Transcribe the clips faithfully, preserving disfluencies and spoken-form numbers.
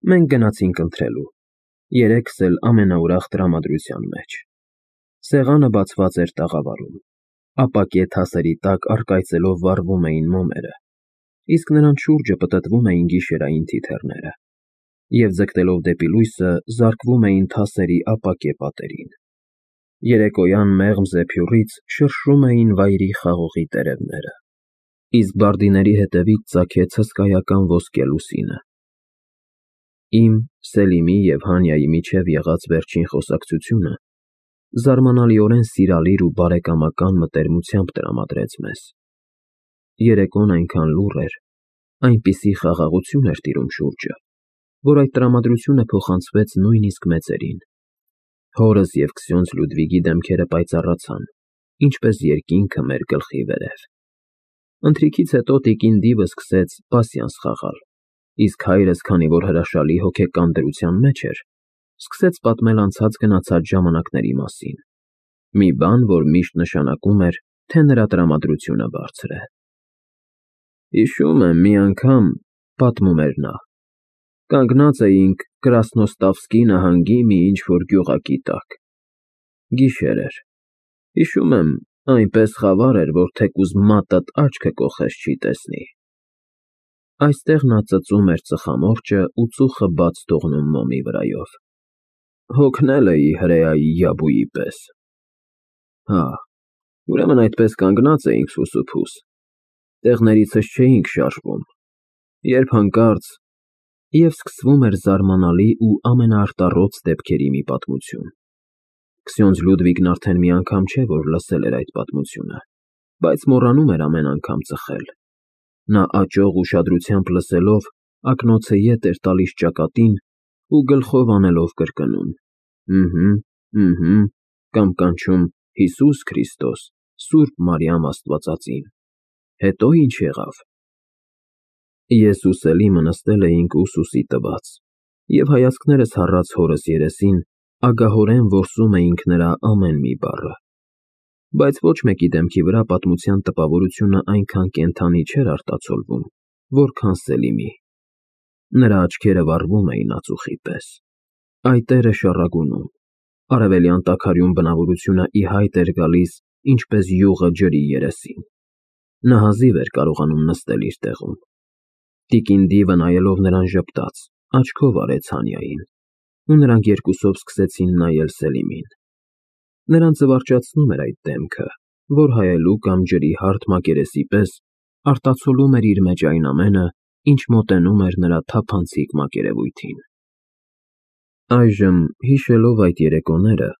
Մենք գնացինք ընթրելու, երեքս էլ ամենաուրախ տրամադրության մեջ։ Սեղանը բացված էր տաղավարում, ապակե թասերի տակ առկայծելով վառվում էին մոմերը, իսկ նրանց շուրջը պտտվում էին գիշերային թիթեռները և, ձգտելով դեպի լույսը, զարկվում էին թասերի ապակե պատերին։ Երեկոյան մեղմ զեփյուռից շրշում էին վայրի խաղողի տերևները, իսկ բարդիների ետևից ծագեց հսկայական ոսկե լուսինը։ Իմ, Սելիմի և Հանյայի միջև եղած վերջին խոսակցությունը զարմանալիորեն սիրալիր ու բարեկամական մտերմությամբ տրամադրեց մեզ։ Երեկոն այնքան լուռ էր, այնպիսի խաղաղություն էր տիրում շուրջը, որ այդ տրամադրությունը փոխանցվեց նույնիսկ մեծերին։ Հորս և քսյոնզ Լյուդվիգի դեմքերը պայծառացան, ինչպես երկինքը մեր գլխի վերև։ Ընթրիքից հետո տիկին Դիվը սկսեց պասյանս խաղալ, իսկ հայրս, քանի որ հրաշալի հոգեկան դրության մեջ էր, սկսեց պատմել անցած գնացած ժամանակների մասին, մի բան, որ միշտ նշանակում էր, թե նրա տրամադրությունը բարձր է։ «Հիշում եմ, մի անգամ, — պատմում էր նա, — կանգնած էինք Կրասնոստավսկի նահանգի մի ինչ֊որ գյուղակի տակ։ Գիշեր էր։ Հիշում եմ, այնպես խավար էր, որ թեկուզ մատդ աչքը կոխես չի տեսնի։ Այստեղ նա ծծում էր ծխամորճը ու ծուխը բաց թողնում մոմի վրայով։ Հոգնել էի հրեայի յաբուի պես։ Հա, ուրեմն այդպես կանգնած էինք սուսուփուս, տեղներիցս չէինք շարժվում, երբ հանկարծ… Եվ սկսվում էր զարմանալի ու ամենաարտառոց դեպքերի մի պատմություն։ Քսյոնզ Լյուդվիգն արդեն մի անգամ չէ, որ լսել էր այդ պատմությունը, բայց մոռանում էր ամեն անգամ ծխել։ Նա աճող ուշադրությամբ լսելով, ակնոցը ետ էր տալիս ճակատին ու գլխով անելով կրկնում. «Ըհը, ըհը», կամ կանչում. «Հիսուս Քրիստոս, Սուրբ Մարիամ Աստվածածին»։ Հետո ի՞նչ եղավ։ Ես ու Սելիմը նստել էինք ուսուսի տված և հայացքներս հառած հորս երեսին ագահորեն որսում էինք նրա ամեն մի բառը, բայց ոչ մեկի դեմքի վրա պատմության տպավորությունը այնքան կենդանի չէր արտացոլվում, որքան Սելիմի։ Նրա աչքերը վառվում էին ածուխի պես, այտերը շառագունում, արևելյան տաքարյուն բնավորությունը ի հայտ էր գալիս, ինչպես յուղը ջրի երեսին։ Նա հազիվ էր կարողանում նստել իր տեղում։ Տիկին Դիվը նայելով նրան ժպտաց, աչքով արեց Հանյային, ու նրանք երկուսով սկսեցին նայել Սելիմին։ Նրան զվարճացնում էր այդ դեմքը, որ հայելու կամ ջրի հարթ մակերեսի պես արտացոլում էր իր մեջ այն ամենը, ինչ մոտենում էր նրա թափանցիկ մակերևույթին։ Այժմ, հիշելով այդ երեկոները,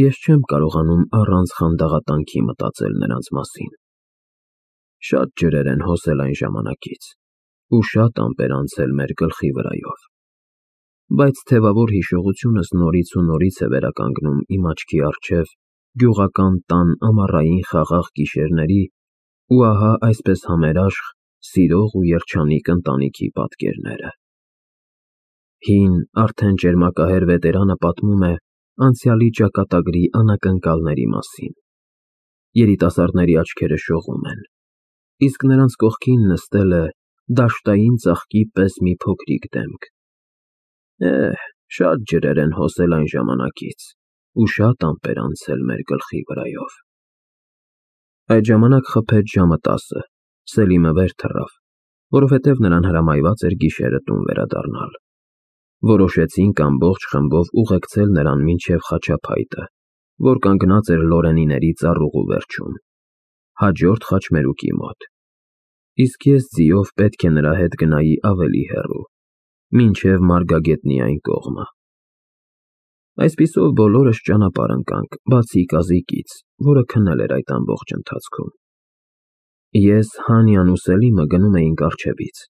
ես չեմ կարողանում առանց խանդաղատանքի մտածել նրանց մասին։ Շատ ջրեր են հոսել այն ժամանակից ու շատ ամպեր անցել մեր գլխի վրայով, բայց թևավոր հիշողությունս նորից ու նորից է վերականգնում իմ աչքի առջև գյուղական տան ամառային խաղաղ գիշերների ու ահա այսպես համերաշխ, սիրող ու երջանիկ ընտանիքի պատկերները։ Հին, արդեն ճերմակահեր վետերանը պատմում է անցյալի ճակատագրի անակնկալների մասին։ Երիտասարդների աչքերը շողում են, իսկ նրանց կողքին նստել է դաշտային ծաղկի պես մի փոքրիկ դեմք։ Էհ, շատ ջրեր են հոսել այն ժամանակից ու շատ ամպեր անցել մեր գլխի վրայով։ Այդ ժամանակ խփեց ժամը տասը, Սելիմը վեր թռավ, որովհետև նրան հրամայված էր գիշերը տուն վերադառնալ։ Որոշեցինք ամբողջ խմբով ուղեկցել նրան մինչև խաչափայտը, որ կանգնած էր Լորենիների ծառուղու վերջում, հաջորդ խաչմերուկի մոտ, իսկ ես ձիով պետք է նրա հետ գնայի ավելի հեռու, մինչև Մարգագետնի այն կողմը։ Այսպիսով բոլորս ճանապարհ ընկանք, բացի կազիկից, որը քնել էր այդ ամբողջ ընթացքում։ Ես, Հանյան ու Սելիմը գնում էինք առջևից,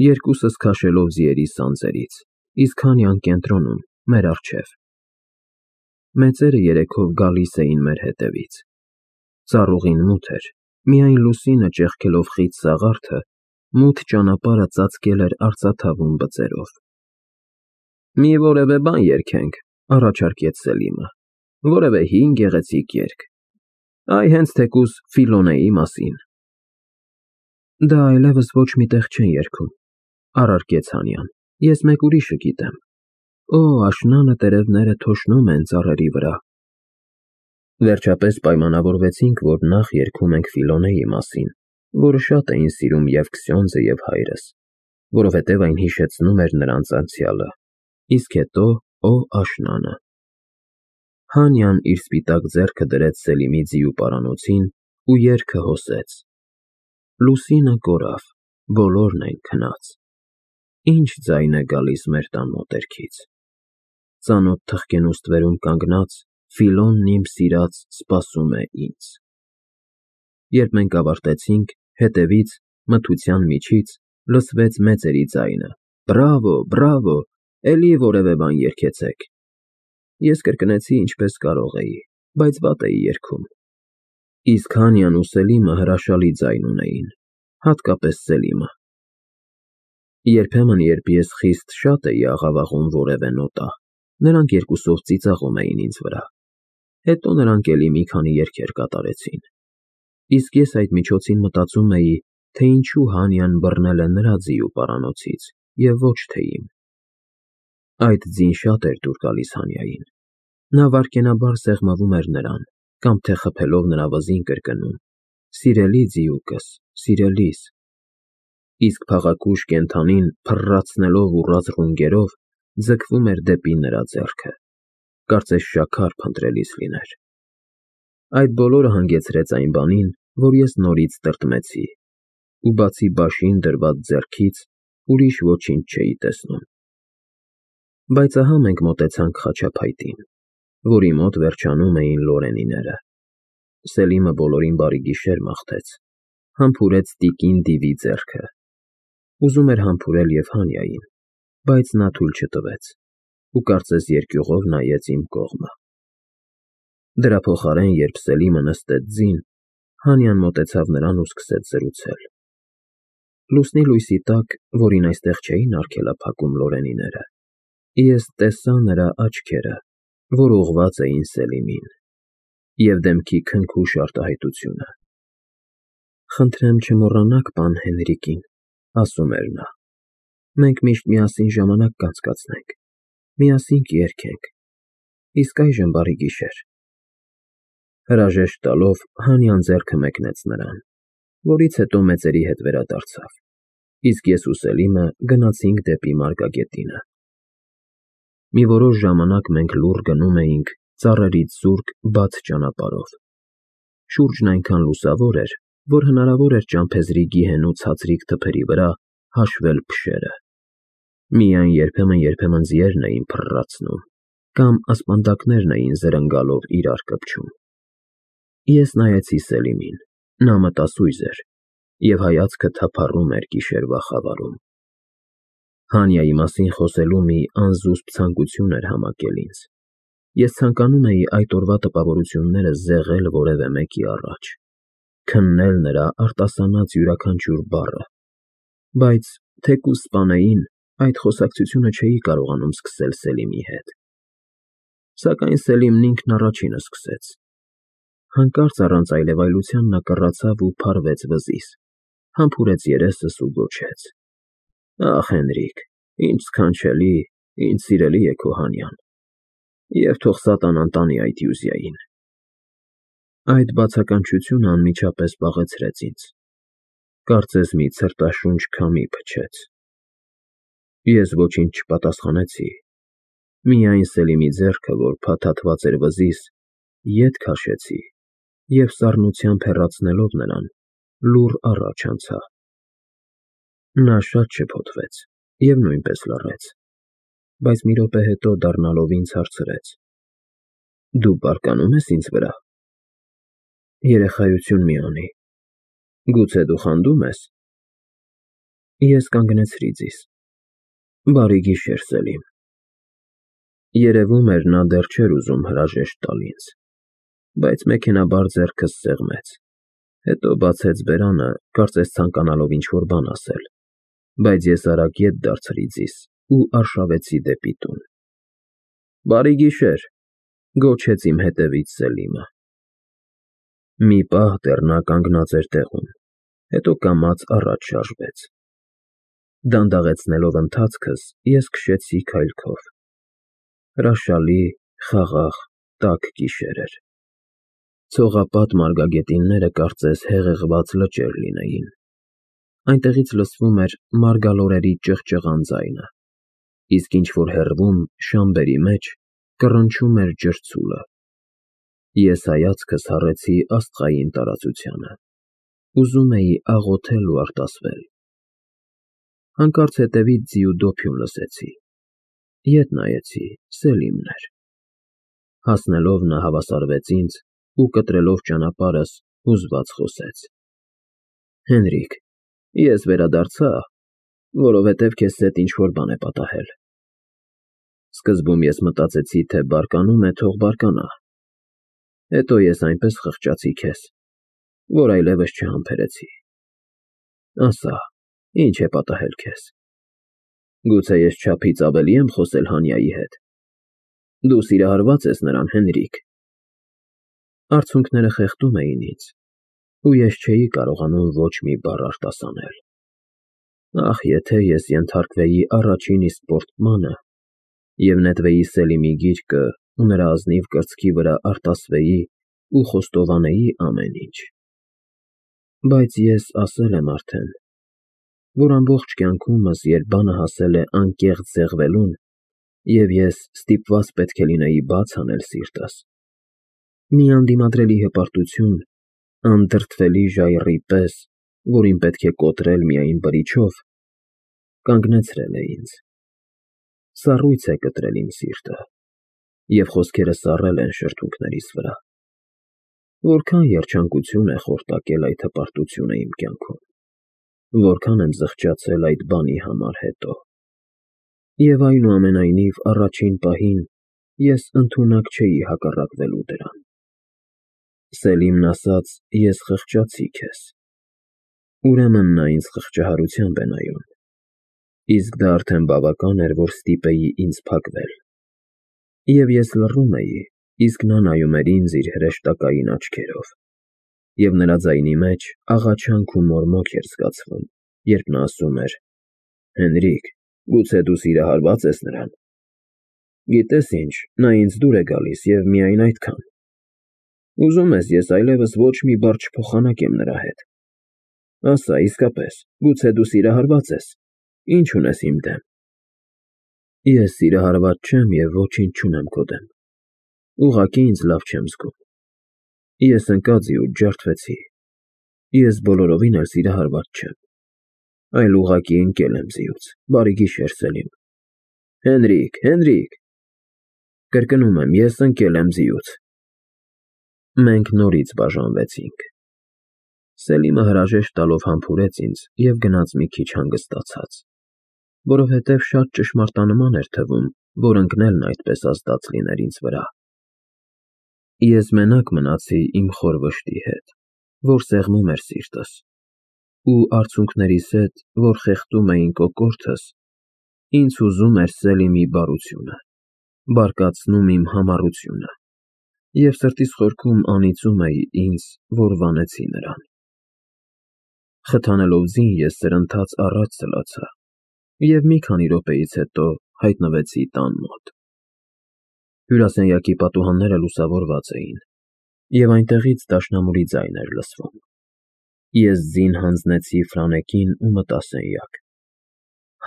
երկուսս քաշելով ձիերի սանձերից, իսկ Հանյան կենտրոնում, մեր առջև։ Մեծերը երեքով գալիս էին մեր հետևից։ Ծառուղին մութ էր, միայն լուսինը ճեղքելով խիտ սաղարթը, մութ ճանապարհը ծածկել էր արծաթավուն բծերով։ Մի որևէ բան երգենք, ֊ առաջարկեց Սելիմը, ֊ որևէ հին գեղեցիկ երգ, այ հենց թեկուզ Ֆիլոնեի մասին։ Դա այլևս ոչ մի տեղ չեն երգում, ֊ առարկեց Հանյան, Ես մեկ ուրիշը գիտեմ։ Օ, աշնանը տերևները թոշնում են ծառերի վրա։ Վերջապես պայմանավորվեցինք, որ նախ երգում ենք Ֆիլոնեի մասին, որը շատ էին սիրում և Քսյոնձը, և հայրս, որովհետև այն հիշեցնում էր նրանց անցյալը, իսկ հետո «Օ աշնանը»։ Հանյան իր սպիտակ ձեռքը դրեց Սելիմի ձիու պարանոցին ու երգը հոսեց. Լուսինը կորավ, բոլորն են քնած, ինչ ձայն է գալիս մեր տան մոտերքից, ծանոթ թխկեն ու ստվերում կանգնած, Ֆիլոնն իմ սիրած սպասում է ինձ։ Երբ մենք ավարտեցինք, հետևից, մթության միջից, լսվեց մեծերի ձայնը. Բրավո, բրավո, էլի որևէ բան երգեցեք։ Ես կրկնեցի ինչպես կարող էի, բայց վատ էի երգում։ Իսկ Հանյան ու Սելիմը հրաշալի ձայն ունեին, հատկապես Սելիմը։ Երբեմն, երբ ես խիստ շատ էի աղավաղում որևէ նոտա, նրանք երկուսով ծիծաղում էին ինձ վրա։ Հետո նրանք էլի մի քանի երգեր կատարեցին։ Իսկ ես այդ միջոցին մտածում էի, թե ինչու Հանյան բռնել է նրա ձիու պարանոցից, և ոչ թե իմ։ Այդ ձին շատ էր դուր գալիս Հանյային։ Նա վայրկենաբար սեղմվում էր նրան, կամ թե խփելով նրա վզին կրկնում. Սիրելի ձիուկս, սիրելիս։ Իսկ փաղաքուշ կենդանին, փռռացնելով ուռած ռունգերով, ձգվում էր դեպի նրա ձեռքը, կարծես շաքար փնտրելիս լիներ։ Այդ բոլորը հանգեցրեց այն բանին, որ ես նորից տրտմեցի, ու բացի բաշին դրված ձեռքից, ուրիշ ոչինչ չէի տեսնում։ Բայց ահա մենք մոտեցանք խաչափայտին, որի մոտ վերջանում էին Լորենիները։ Սելիմը բոլորին բարի գիշեր մաղթեց, համբուրեց տիկին Դիվի ձեռքը։ Ուզում էր համբուրել և Հանյային, բայց նա թույլ չտվեց, ու կարծես երկյուղով նայեց իմ կողմը։ Դրա փոխարեն, երբ Սելիմը նստեց ձին, Հանյան մոտեցավ նրան ու սկսեց զրուցել։ Լուսնի լույսի տակ, որին այստեղ չէին արգելափակում Լորենիները, ես տեսա նրա աչքերը, որ ուղղված էին Սելիմին, և դեմքի քնքուշ արտահայտությունը։ Խնդրեմ չմոռանաք պան Հենրիկին, ասում էր նա։ Մենք միշտ միասին ժամանակ կանցկացնենք, միասին կերգենք, իսկ այժմ բարի գիշեր։ Հրաժեշտ տալով Հանյան ձեռքը մեկնեց նրան, որից հետո մեծերի հետ վերադարձավ, իսկ ես ու Սելիմը գնացինք դեպի մարգագետինը։ Մի որոշ ժամանակ մենք լուռ գնում էինք ծառերից զուրկ բաց ճանապարհով։ Շուրջն այնքան լուսավոր էր, որ հնարավոր էր ճամփեզի գիհենու ցածրիկ թփերի վրա հաշվել փշերը։ Միայն երբեմն-երբեմն ձիերն էին փռռացնում, կամ ասպանդակներն էին զրնգալով իրար կպչում։ Ես նայեցի Սելիմին, նա մտասույզ էր, և հայացքը թափառում էր գիշերվա խավարում։ Հանյայի մասին խոսելու մի անզուսպ ցանկություն էր համակել ինձ։ Ես ցանկանում էի այդ օրվա տպավորությունները զեղել որևէ մեկի առաջ, քննել նրա արտասանած յուրաքանչյուր բառը, բայց թեկուզ սպանեին, այդ խոսակցությունը չէի կարողանում սկսել Սելիմի հետ։ Սակայն Սելիմն ինքն առաջինը սկսեց։ Հանկարծ առանց այլևայլության նա կռացավ ու փարվեց վզիս, համբուրեց երեսս ու գոչեց. Ախ, Հենրիկ, ինչ սքանչելի, ինչ սիրելի է քո Հանյան, և թող սատանան տանի այդ Յուզիային։ Այդ բացականչությունը անմիջապես բաղեցրեց ինձ, կարծես մի ցրտաշունչ քամի փչեց։ Ես ոչինչ չպատասխանեցի, միայն Սելիմի ձեռքը, որ փաթաթված էր վզիս, ետ քաշեցի և սառնությամբ հեռացնելով նրան, լուռ առաջ անցա։ Նա շատ շփոթվեց և նույնպես լռեց, բայց մի րոպե հետո դառնալով ինձ հարցրեց. Դու բարկանում ես ինձ վրա։ Երեխայություն մի անի, գուցե դու խանդում ես։ Ես կանգնեցրի ձիզ։ Բարի գիշեր, Սելիմ։ Երևում էր, նա դեռ չէր ուզում հրաժեշտ տալ ինձ, բայց մեքենայաբար ձեռքս սեղմեց, հետո բացեց բերանը, կարծես ցանկանալով ինչ-որ բան ասել, բայց ես արագ ետ դարձրի ձիզ ու արշավեցի դեպի տուն։ Բարի գիշեր, գոչեց իմ հետևից Սելիմը։ Մի պահ դեռ նա կանգնած էր տեղում, հետո կամաց առաջ շարժվեց։ Դանդաղեցնելով ընթացքս, ես քշեցի քայլքով։ Հրաշալի, խաղաղ, տաք գիշեր էր։ Ցողապատ մարգագետինները կարծես հեղեղված լճեր լինեին։ Այնտեղից լսվում էր մարգալորերի ճղճղան ձայնը, իսկ ինչ-որ հեռվում, շամբերի մեջ, կռնչում էր ջրցուլը։ Ես հայացքս հառեցի աստղային տարածությանը։ Ուզում էի աղոթել ու արտասվել։ Հանկարծ հետևից ձի ու դոփյուն լսեցի։ Ետ նայեցի, Սելիմն էր։ Հասնելով նա հավասարվեց ինձ ու կտրելով ճանապարհս, հուզված խոսեց. Հենրիկ, ես վերադարձա, որովհետև քեզ հետ ինչ֊որ բան է պատահել։ Սկզբում ես մտածեցի, թե բարկանում է, թող բարկանա։ Հետո ես այնպես խղճացի քեզ, որ այլևս չհամբերեցի։ Ասա, ինչ է պատահել քեզ։ Գուցե ես չափից ավելի եմ խոսել Հանյայի հետ։ Դու սիրահարված ես նրան, Հենրիկ։ Արցունքները խեղդում էին ինձ, ու ես չէի կարողանում ոչ մի բառ արտասանել։ Ախ, եթե ես ենթարկվեի առաջին իսկ պորտմանը և նետվեի Սելիմի գիրկը ու նրա ազնիվ կրծքի վրա արտասվեի ու խոստովանեի ամեն ինչ։ Բայց ես ասել եմ արդեն, որ ամբողջ կյանքումս, երբ բանը հասել է անկեղծ զեղվելուն, և ես ստիպված պետք է լինեի բաց անել սիրտս, մի անդիմադրելի հպարտություն, անդրդվելի ժայռի պես, որին պետք է կոտրել միայն բրիչով, կանգնեցրել է ինձ։ Սառույց է կտրել իմ սիրտը, և խոսքերս սառել են շրթունքներիս վրա։ Որքան երջանկություն է խորտակել այդ հպարտությունը իմ կյանքում, որքան եմ զղջացել այդ բանի համար հետո։ Եվ այնուամենայնիվ, առաջին պահին ես ընդունակ չէի հակառակվելու դրան։ Սելիմն ասաց, ես խղճացի քեզ։ Ուրեմն նա ինձ խղճահարությամբ է նայում, իսկ դա արդեն բավական էր, որ ստիպեի ինձ փակվել։ Եվ ես լռում էի, իսկ նա նայում էր ինձ իր հրեշտակային աչքերով, և նրա ձայնի մեջ աղաչանք ու մորմոք էր զգացվում, երբ նա ասում էր. Հենրիկ, գուցե դու սիրահարվա՞ծ ես նրան։ Գիտես ինչ, նա ինձ դուր է գալիս և միայն այդքան։ Ուզում ես ես այլևս ոչ մի բառ չփոխանակեմ նրա հետ։ Ասա, իսկապես, գուցե դու սիրահարվա՞ծ ես, ինչ ունես իմ դեմ։ Ես սիրահարված չեմ և ոչինչ չունեմ քո դեմ։ Ուղղակի ինձ լավ չեմ զգում։ Ես ընկա ձիուց ջարդվեցի։ Ես բոլորովին էլ սիրահարված չեմ, այլ ուղղակի ընկել եմ ձիուց։ Բարի գիշեր, Սելիմ։ Հենրիկ, Հենրիկ… Կրկնում եմ, ես ընկել եմ ձիուց։ Մենք նորից բաժանվեցինք։ Սելիմը հրաժեշտ տալով համբուրեց ինձ և գնաց մի քիչ հանգստացած, որովհետև շատ ճշմարտանման էր թվում, որ ընկնելն այդպես ազդած լիներ ինձ վրա։ Ես մենակ մնացի իմ խոր վշտի հետ, որ սեղմում էր սիրտս, ու արցունքներիս հետ, որ խեղդում էին կոկորդս, ինձ հուզում էր Սելիմի բարությունը, բարկացնում իմ համառությունը, և սրտիս խորքում անիծում էի ինձ, որ վանեցի նրան։ Խթանելով ձին, ես սրընթաց առաջ սլացա և մի քանի րոպեից հետո հայտնվեցի տան մոտ։ Հյուրասենյակի պատուհանները լուսավորված էին, և այնտեղից դաշնամուրի ձայն էր լսվում։ Ես ձին հանձնեցի Ֆրանեկին ու մտա սենյակ։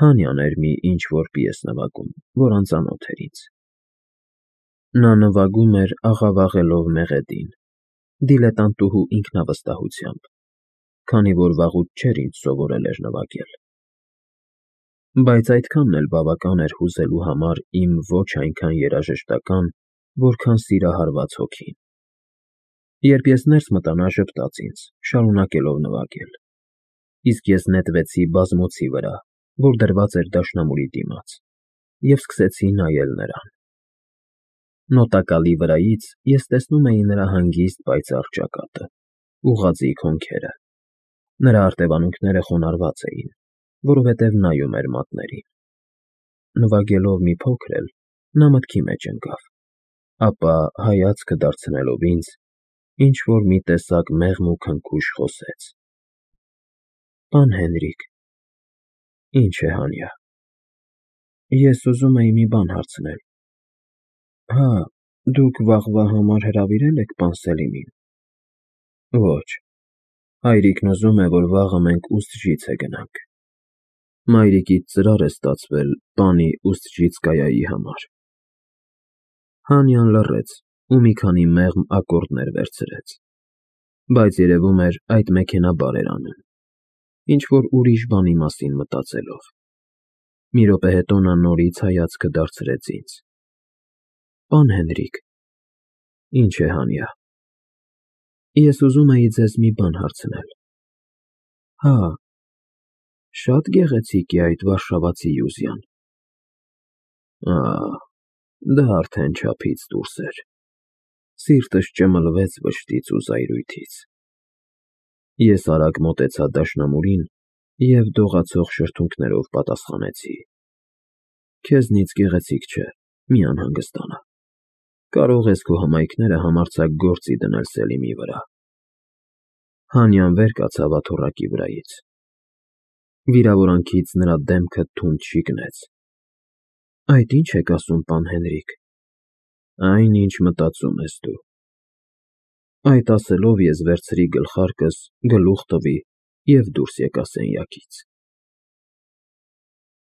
Հանյան էր մի ինչ֊որ պիես նվագում, որ անծանոթ էր ինձ։ Նա նվագում էր աղավաղելով մեղեդին, դիլետանտուհու ինքնավստահությամբ, քանի որ վաղուց չէր ինձ սովորել էր նվագել։ Բայց այդքանն էլ բավական էր հուզելու համար իմ ոչ այնքան երաժշտական, որքան սիրահարված հոգին։ Երբ ես ներս մտա, նա ժպտաց ինձ, շարունակելով նվագել, իսկ ես նետվեցի բազմոցի վրա, որ դրված էր դաշնամուրի դիմաց, և սկսեցի նայել նրան։ Նոտակալի վրայից ես տեսնում էի նրա հանգիստ պայծառ ճակատը, ուղղաձիգ հոնքերը։ Նրա արտևանունքները խոնարհված էին, որովհետև նայում էր մատներին։ Նվագելով մի փոքր էլ, նա մտքի մեջ ընկավ, ապա, հայացքը դարձնելով ինձ, ինչ֊որ մի տեսակ մեղմ ու քնքուշ խոսեց. Պան Հենրիկ… Ինչ է Հանյա։ Ես ուզում էի մի բան հարցնել։ Հա, դուք վաղվա համար հրավիրել եք պան Սելիմին։ Ոչ, հայրիկն ուզում է, որ վաղը մենք Ուսթջիցե գնանք։ Մայրիկիդ ծրար է ստացվել պանի Ուսթջիցկայայի համար։ Հանյան լռեց ու մի քանի մեղմ ակորդներ վերցրեց, բայց երևում էր այդ մեքենաբար էր անում, ինչ-որ ուրիշ բանի մասին մտածելով։ Մի րոպե հետո նա նորից հայացքը դարձրեց ինձ։ Պան Հենրիկ։ Ինչ է Հանյա։ Ես ուզում էի ձեզ մի բան հարցնել։ Հա, շատ գեղեցիկ է այդ վարշավացի Յուզյան։ Ահ, դա արդեն չափից դուրս էր։ Սիրտս ճմլվեց վշտից ու զայրույթից։ Ես արագ մոտեցա դաշնամուրին և դողացող շրթունքներով պատասխանեցի. Քեզնից գեղեցիկ չէ, մի անհանգստանա։ Կարող ես քո հմայքները համարձակ գործի դնել Սելիմի վրա։ Հանյան վեր կացավ աթոռակի վրայից։ Վիրավորանքից նրա դեմքը թունդ շիկնեց։ Այդ ի՞նչ եք ասում, պան Հենրիկ։ Այն, ինչ մտածում ես դու։ Այդ ասելով ես վերցրի գլխարկս, գլուխ տվի և դուրս եկա սենյակից։